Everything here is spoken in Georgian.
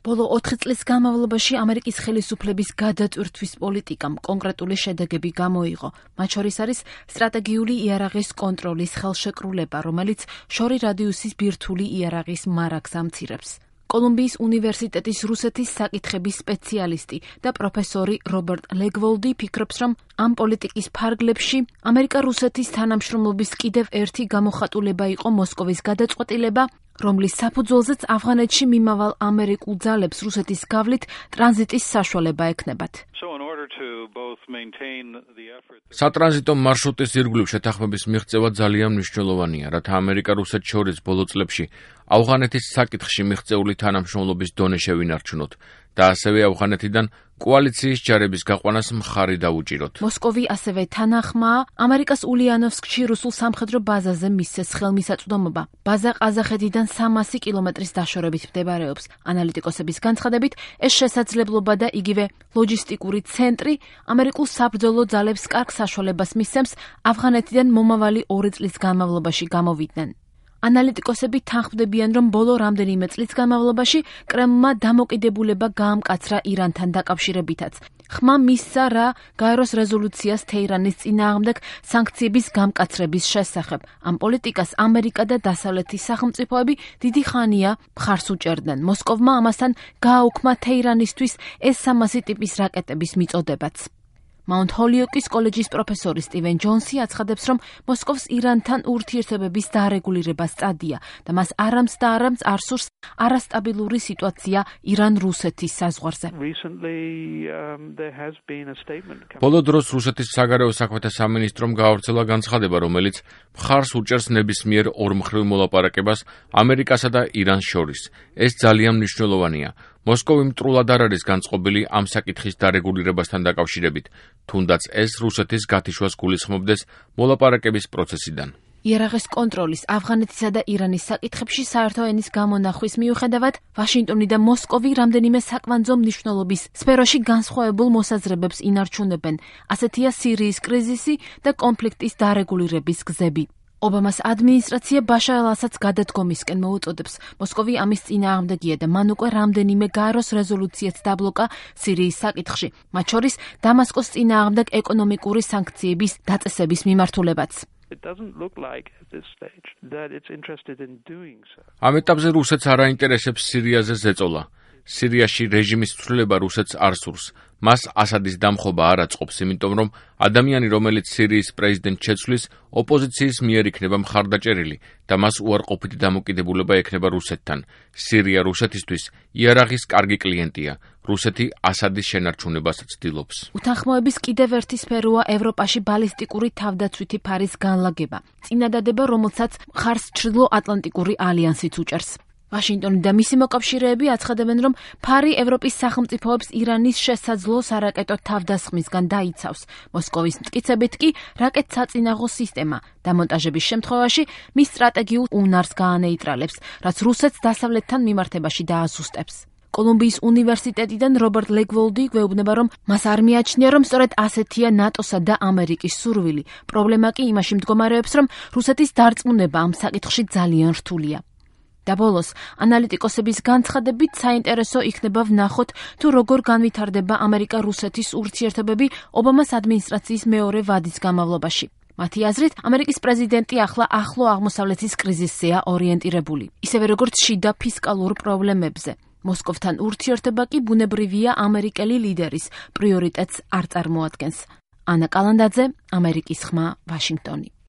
ბოლო 4 წლის განმავლობაში ამერიკის ხელისუფლების გადატვირთვის პოლიტიკამ კონკრეტული შედეგები გამოიღო. მათ შორის არის სტრატეგიული იარაღის კონტროლის ხელშეკრულება, რომელიც შორი რადიუსის ბირთვული იარაღის მარაგს ამცირებს. კოლუმბიის უნივერსიტეტის რუსეთის საკითხების სპეციალისტი და პროფესორი რობერტ ლეგვოლდი ფიქრობს, რომ ამ პოლიტიკის ფარგლებში ამერიკა-რუსეთის თანამშრომლობის კიდევ ერთი გამოხატულება იყო მოსკოვის გადაწყვეტილება, რომლის საფუძველზეც ავღანეთში მიმავალ ამერიკულ ძალებს რუსეთის გავლით ტრანზიტის საშუალება ექნებათ. სატრანზიტო მარშრუტის ირგვლივ შეთანხმების მიღწევა ძალიან მნიშვნელოვანია, რათა ამერიკა-რუსეთს შორის ბოლო წლებში ავღანეთის საკითხში მიღწეული თანამშრომლობის დონე შევინარჩუნოთ და ასევე ავღანეთიდან კოალიციის ჯარების გაყვანას მხარი დაუჭიროთ. მოსკოვი ასევე თანახმაა ამერიკას ულიანოვსკში რუსულ სამხედრო ბაზაზე მისცეს ხელმისაწვდომობა. ბაზა ყაზახეთიდან 300 კილომეტრის დაშორებით მდებარეობს. ანალიტიკოსების განცხადებით, ეს შესაძლებლობა და იგივე ლოჯისტიკური ცენტრი ამერიკულ საბრძოლო ძალებს კარგ საშუალებას მისცემს ავღანეთიდან მომავალი 2 წლის განმავლობაში გამოვიდნენ. ანალიტიკოსები თანხმდებიან, რომ ბოლო რამდენიმე წლის განმავლობაში კრემლმა დამოკიდებულება გაამკაცრა ირანთან დაკავშირებითაც. ხმა მისცა რა გაეროს რეზოლუციას თეირანის წინააღმდეგ სანქციების გამკაცრების შესახებ. ამ პოლიტიკას ამერიკა და დასავლეთის სახელმწიფოები დიდი ხანია მხარს უჭერდნენ. მოსკოვმა ამასთან გააუქმა თეირანისთვის S-300 ტიპის რაკეტების მიწოდებაც. მაუნთ ჰოლიოკის კოლეჯის პროფესორი სტივენ ჯონსი აცხადებს, რომ მოსკოვს ირანთან ურთიერთობების დარეგულირება სწადია და მას არამც და არამც არ სურს არასტაბილური სიტუაცია ირან-რუსეთის საზღვარზე. ბოლო დროს რუსეთის საგარეო საქმეთა სამინისტრომ გაავრცელა განცხადება, რომელიც მხარს უჭერს ნებისმიერ ორმხრივ მოლაპარაკებას ამერიკასა და ირანს შორის. ეს ძალიან მნიშვნელოვანია. მოსკოვი მტრულად არ არის განწყობილი ამ საკითხის დარეგულირებასთან დაკავშირებით, თუნდაც ეს რუსეთის გათიშვას გულისხმობდეს მოლაპარაკების პროცესიდან. იარაღის კონტროლის ავღანეთისა და ირანის საკითხებში საერთო ენის გამონახვის მიუხედავად, ვაშინგტონი და მოსკოვი რამდენიმე საკვანძო მნიშვნელობის სფეროში განსხვავებულ მოსაზრებებს ინარჩუნებენ. ასეთია სირიის კრიზისი და კონფლიქტის დარეგულირების გზები. ობამას ადმინისტრაცია ბაშარ ალ-ასადს გადადგომისკენ მოუწოდებს. მოსკოვი ამის წინააღმდეგია და მან უკვე რამდენიმე გაეროს რეზოლუციაც დაბლოკა სირიის საკითხში, მათ შორის დამასკოს წინააღმდეგ ეკონომიკური სანქციების დაწესების მიმართულებაც. ამ ეტაპზე რუსეთს არ აინტერესებს სირიაზე ზეწოლა. სირიაში რეჟიმის ცვლილება რუსეთს არ სურს. მას ასადის დამხობა არ აწყობს, იმიტომ რომ ადამიანი, რომელიც სირიის პრეზიდენტს შეცვლის, ოპოზიციის მიერ იქნება მხარდაჭერილი და მას უარყოფითი დამოკიდებულება ექნება რუსეთთან. სირია რუსეთისთვის იარაღის კარგი კლიენტია. რუსეთი ასადის შენარჩუნებას ცდილობს. უთანხმოების კიდევ ერთი სფეროა ევროპაში ბალისტიკური თავდაცვითი ფარის განლაგება. წინადადება, რომელსაც მხარს ჩრდილო-ატლანტიკური ალიანსიც უჭერს. ვაშინგტონი და მისი მოკავშირეები აცხადებენ, რომ ფარი ევროპის სახელმწიფოებს ირანის შესაძლო სარაკეტო თავდასხმისგან დაიცავს. მოსკოვის მტკიცებით კი რაკეტსაწინააღმდეგო სისტემა დამონტაჟების შემთხვევაში მის სტრატეგიულ უნარს გაანეიტრალებს, რაც რუსეთს დასავლეთთან მიმართებაში დააზუსტებს. კოლუმბიის უნივერსიტეტიდან რობერტ ლეგვოლდი გვეუბნება, რომ მას არ მიაჩნია, რომ სწორედ ასეთია ნატოსა და ამერიკის სურვილი. პრობლემა კი იმაში მდგომარეობს, რომ რუსეთის დარწმუნება ამ საკითხში ძალიან რთულია. და ბოლოს, ანალიტიკოსების განცხადებით საინტერესო იქნება ვნახოთ, თუ როგორ განვითარდება ამერიკა-რუსეთის ურთიერთობები ობამას ადმინისტრაციის მეორე ვადის განმავლობაში. მათი აზრით, ამერიკის პრეზიდენტი ახლა ახლო აღმოსავლეთის კრიზისზეა ორიენტირებული, ისევე როგორც შიდა ფისკალურ პრობლემებზე. მოსკოვთან ურთიერთობა კი ბუნებრივია ამერიკელი ლიდერის პრიორიტეტს არ წარმოადგენს. ანა კალანდაძე, ამერიკის ხმა, ვაშინგტონი.